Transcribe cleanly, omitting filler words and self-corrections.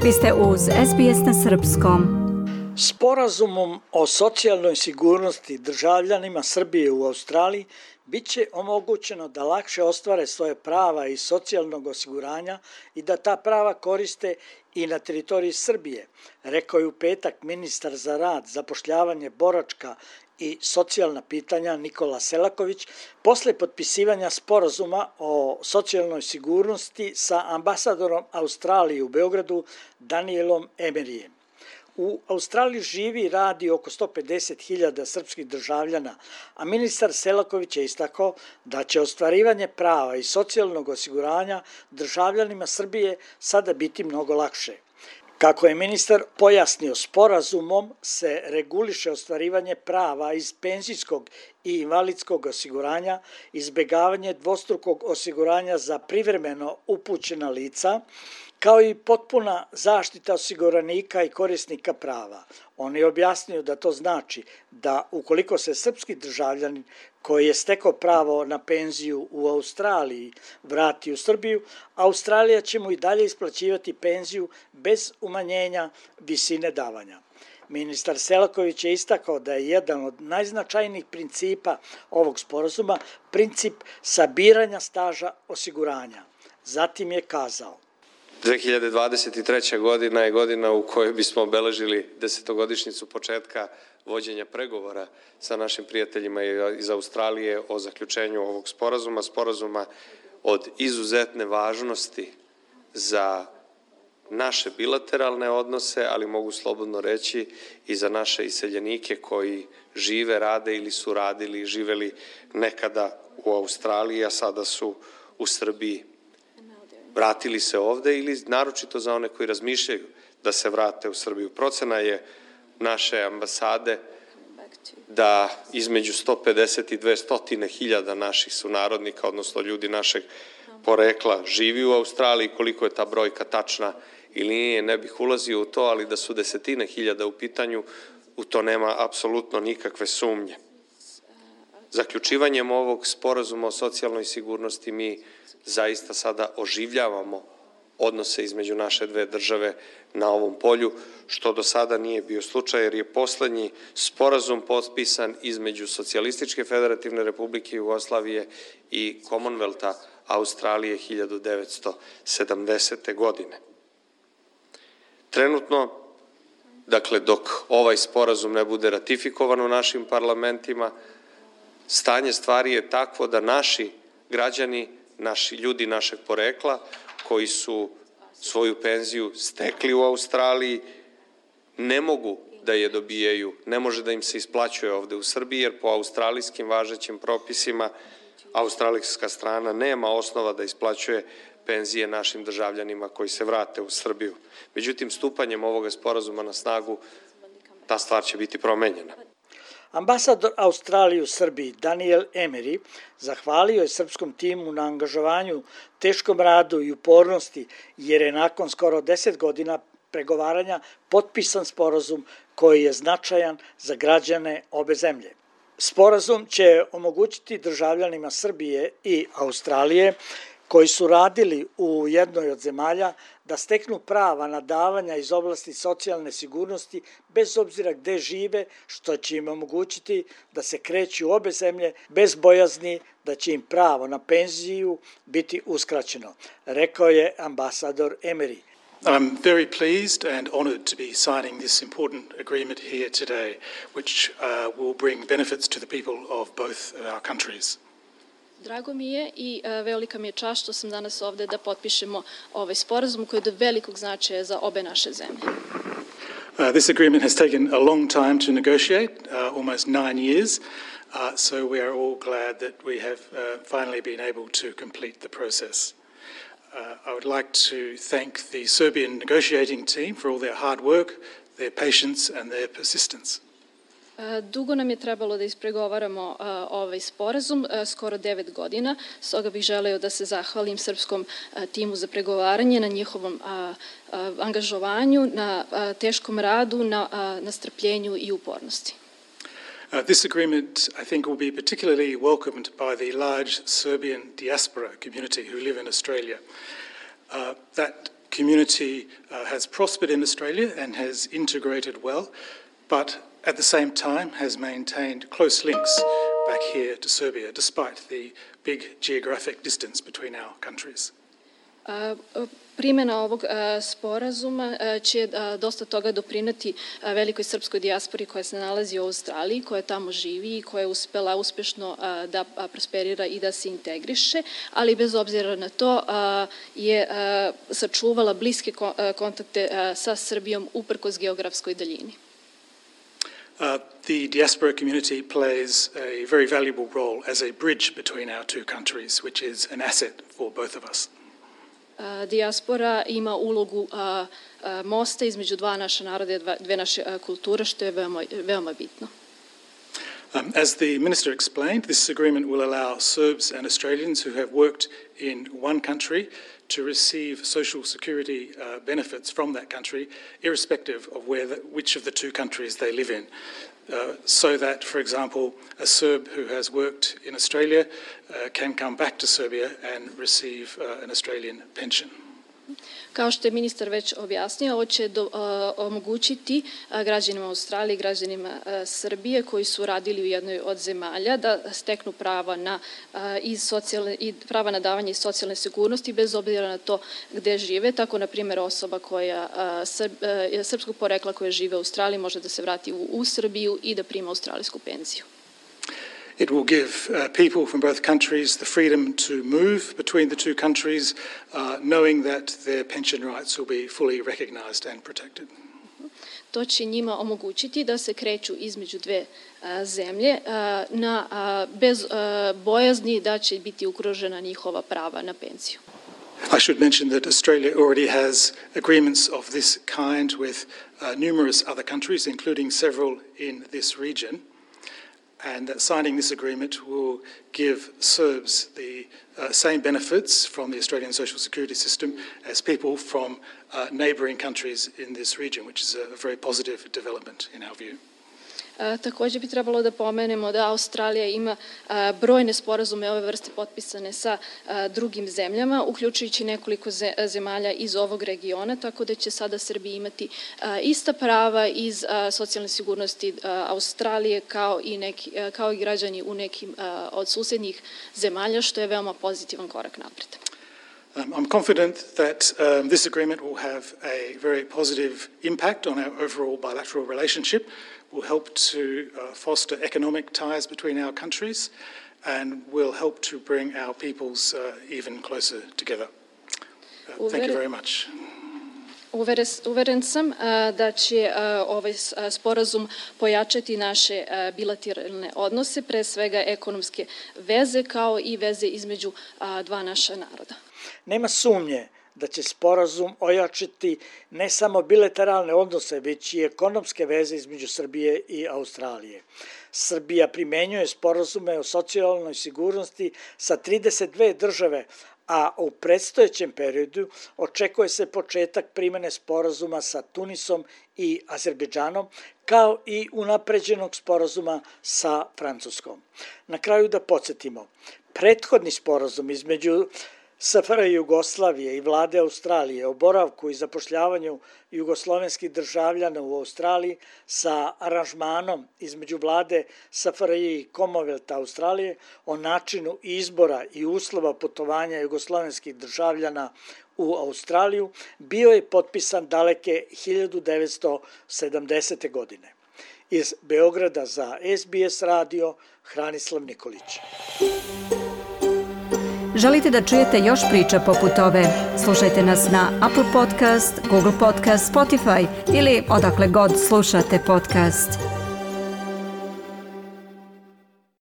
Vi ste uz SBS na srpskom. Sporazumom o socijalnoj sigurnosti državljanima Srbije u Australiji bit će omogućeno da lakše ostvare svoje prava iz socijalnog osiguranja i da ta prava koriste i na teritoriji Srbije, rekao je u petak ministar za rad, zapošljavanje, boračka i socijalna pitanja Nikola Selaković posle potpisivanja sporazuma o socijalnoj sigurnosti sa ambasadorom Australije u Beogradu Danielom Emeryjem. U Australiji živi i radi oko 150.000 srpskih državljana, a ministar Selaković je istakao da će ostvarivanje prava i socijalnog osiguranja državljanima Srbije sada biti mnogo lakše. Kako je ministar pojasnio, sporazumom se reguliše ostvarivanje prava iz penzijskog i invalidskog osiguranja, izbegavanje dvostrukog osiguranja za privremeno upućena lica, kao i potpuna zaštita osiguranika i korisnika prava. On je objasnio da to znači da ukoliko se srpski državljanin koji je stekao pravo na penziju u Australiji vrati u Srbiju, Australija će mu i dalje isplaćivati penziju bez umanjenja visine davanja. Ministar Selaković je istakao da je jedan od najznačajnijih principa ovog sporazuma princip sabiranja staža osiguranja. Zatim je kazao: 2023. godina je godina u kojoj bismo obeležili 10-godišnjicu početka vođenja pregovora sa našim prijateljima iz Australije o zaključenju ovog sporazuma od izuzetne važnosti za naše bilateralne odnose, ali mogu slobodno reći i za naše iseljenike koji žive, rade ili su radili i živeli nekada u Australiji, a sada su u Srbiji. Vratili se ovde ili naročito za one koji razmišljaju da se vrate u Srbiju. Procena je naše ambasade da između 150 i 200.000 naših sunarodnika, odnosno ljudi našeg porekla, živi u Australiji. Koliko je ta brojka tačna ili nije, ne bih ulazio u to, ali da su desetine hiljada u pitanju, u to nema apsolutno nikakve sumnje. Zaključivanjem ovog sporazuma o socijalnoj sigurnosti mi zaista sada oživljavamo odnose između naše dve države na ovom polju, što do sada nije bio slučaj, jer je poslednji sporazum potpisan između Socijalističke federativne republike Jugoslavije i Commonwealtha Australije 1970. godine. Trenutno, dakle, dok ovaj sporazum ne bude ratifikovan u našim parlamentima, stanje stvari je takvo da naši građani, naši ljudi našeg porekla koji su svoju penziju stekli u Australiji ne mogu da je dobijaju, ne može da im se isplaćuje ovde u Srbiji, jer po australijskim važećim propisima australijska strana nema osnova da isplaćuje penzije našim državljanima koji se vrate u Srbiju. Međutim, stupanjem ovoga sporazuma na snagu ta stvar će biti promenjena. Ambasador Australije u Srbiji Daniel Emery zahvalio je srpskom timu na angažovanju, teškom radu i upornosti, jer je nakon skoro 10 godina pregovaranja potpisan sporazum koji je značajan za građane obe zemlje. Sporazum će omogućiti državljanima Srbije i Australije koji su radili u jednoj od zemalja da steknu prava na davanja iz oblasti socijalne sigurnosti bez obzira gde žive, što će im omogućiti da se kreću u obe zemlje bez bojazni da će im pravo na penziju biti uskraćeno, rekao je ambasador Emery. I'm very pleased and honoured to be signing this important agreement here today, which will bring benefits to the people of both our countries. Drago mi je i velika mi je čast što sam danas ovde da potpišemo ovaj sporazum koji je od velikog značaja za obe naše zemlje. This agreement has taken a long time to negotiate, almost 9 years, so we are all glad that we have finally been able to complete the process. I would like to thank the Serbian negotiating team for all their hard work, their patience and their persistence. Dugo nam je trebalo da ispregovaramo ovaj sporazum, skoro 9 godina, stoga bih želeo da se zahvalim srpskom timu za pregovaranje, na njihovom angažovanju, na teškom radu, na strpljenju i upornosti. This agreement, I think, will be particularly welcomed by the large Serbian diaspora community who live in Australia. That community has prospered in Australia and has integrated well, but at the same time has maintained close links back here to Serbia, despite the big geographic distance between our countries. Primjena ovog sporazuma će dosta toga doprineti velikoj srpskoj dijaspori koja se nalazi u Australiji, koja tamo živi i koja je uspela uspešno da prosperira i da se integriše, ali bez obzira na to je sačuvala bliske kontakte sa Srbijom uprkos geografskoj daljini. The diaspora community plays a very valuable role as a bridge between our two countries, which is an asset for both of us. Dijaspora ima ulogu mosta između dva naša naroda i dve naše kulture, što je veoma bitno. As the Minister explained, this agreement will allow Serbs and Australians who have worked in one country to receive social security benefits from that country, irrespective of which of the two countries they live in. So that, for example, a Serb who has worked in Australia can come back to Serbia and receive an Australian pension. Kao što je ministar već objasnio, ovo će omogućiti građanima Australije i građanima Srbije koji su radili u jednoj od zemalja da steknu prava na davanje iz socijalne sigurnosti bez obzira na to gde žive. Tako, na primjer, osoba koja je srpskog porekla koja žive u Australiji može da se vrati u Srbiju i da prima australijsku penziju. It will give people from both countries the freedom to move between the two countries, knowing that their pension rights will be fully recognised and protected. To će njima omogućiti da se kreću između dve zemlje bez bojazni da će biti ugrožena njihova prava na penziju. I should mention that Australia already has agreements of this kind with numerous other countries, including several in this region. And that signing this agreement will give Serbs the same benefits from the Australian social security system as people from neighbouring countries in this region, which is a very positive development in our view. Također bi trebalo da pomenemo da Australija ima brojne sporazume ove vrste potpisane sa drugim zemljama, uključujući nekoliko zemalja iz ovog regiona, tako da će sada Srbija imati ista prava iz socijalne sigurnosti Australije kao i građani u nekim od susednjih zemalja, što je veoma pozitivan korak napred. I'm confident that this agreement will have a very positive impact on our overall bilateral relationship, will help to foster economic ties between our countries, and will help to bring our peoples even closer together. Thank you very much. Uveren sam da će ovaj sporazum pojačati naše bilateralne odnose, pre svega ekonomske veze, kao i veze između dva naša naroda. Nema sumnje da će sporazum ojačati ne samo bilateralne odnose, već i ekonomske veze između Srbije i Australije. Srbija primenjuje sporazume o socijalnoj sigurnosti sa 32 države, a u predstojećem periodu očekuje se početak primene sporazuma sa Tunisom i Azerbejdžanom, kao i unapređenog sporazuma sa Francuskom. Na kraju da podsjetimo, prethodni sporazum između SFRJ Jugoslavije i vlade Australije o boravku i zapošljavanju jugoslovenskih državljana u Australiji sa aranžmanom između vlade SFRJ i Commonwealtha Australije o načinu izbora i uslova putovanja jugoslovenskih državljana u Australiju bio je potpisan daleke 1970. godine. Iz Beograda za SBS radio Hranislav Nikolić. Želite da čujete još priča poput ove? Slušajte nas na Apple Podcast, Google Podcast, Spotify ili odakle god slušate podcast.